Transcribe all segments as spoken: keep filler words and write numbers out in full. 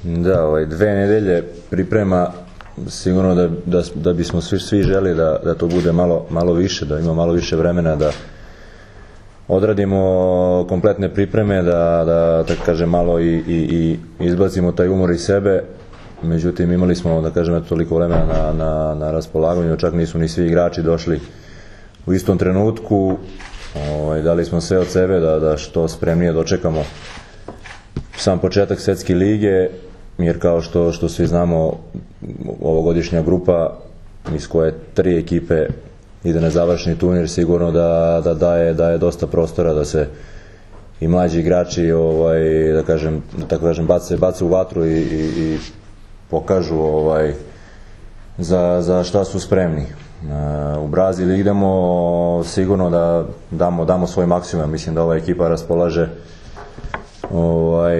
Da, ovaj, dve nedelje priprema, sigurno da, da, da bismo svi, svi želi da, da to bude malo, malo više, da ima malo više vremena da odradimo kompletne pripreme, da, da tako kažem, malo i, i, i izbacimo taj umor iz sebe. Međutim, imali smo, da kažem, toliko vremena na, na, na raspolaganju, čak nisu ni svi igrači došli u istom trenutku. Ovaj, dali smo sve od sebe da, da što spremnije dočekamo sam početak Svetske lige, jer kao što, što svi znamo, ovogodišnja grupa iz koje tri ekipe ide na završni turnir, sigurno da, da daje, daje dosta prostora da se i mlađi igrači, ovaj, da kažem, da tako kažem, bace, bace u vatru i, i, i pokažu ovaj, za, za šta su spremni. Uh, u Brazil idemo sigurno da damo, damo svoj maksimum. Mislim da ova ekipa raspolaže ovaj,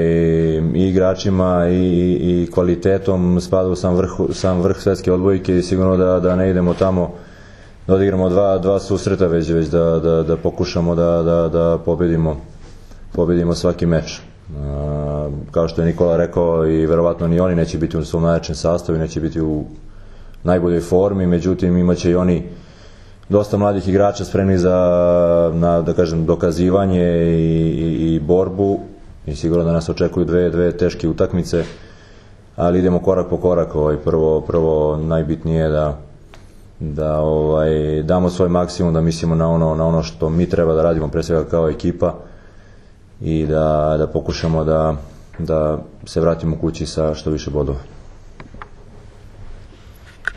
i igračima i, i, i kvalitetom, spada u sam vrh, sam vrh svetske odbojke i sigurno da, da ne idemo tamo da odigramo dva, dva susreta, već, već da, da, da pokušamo da, da, da pobedimo, pobedimo svaki meč. Uh, kao što je Nikola rekao, i verovatno ni oni neće biti u svom najjačem sastavu, neće biti u najboljoj formi, međutim imaće i oni dosta mladih igrača spremni za, na, da kažem, dokazivanje i, i, i borbu, i sigurno da nas očekuju dve, dve teške utakmice, ali idemo korak po korak. Ovaj, prvo, prvo najbitnije je da, da ovaj, damo svoj maksimum, da mislimo na ono, na ono što mi treba da radimo, pre svega kao ekipa, i da, da pokušamo da, da se vratimo kući sa što više bodova.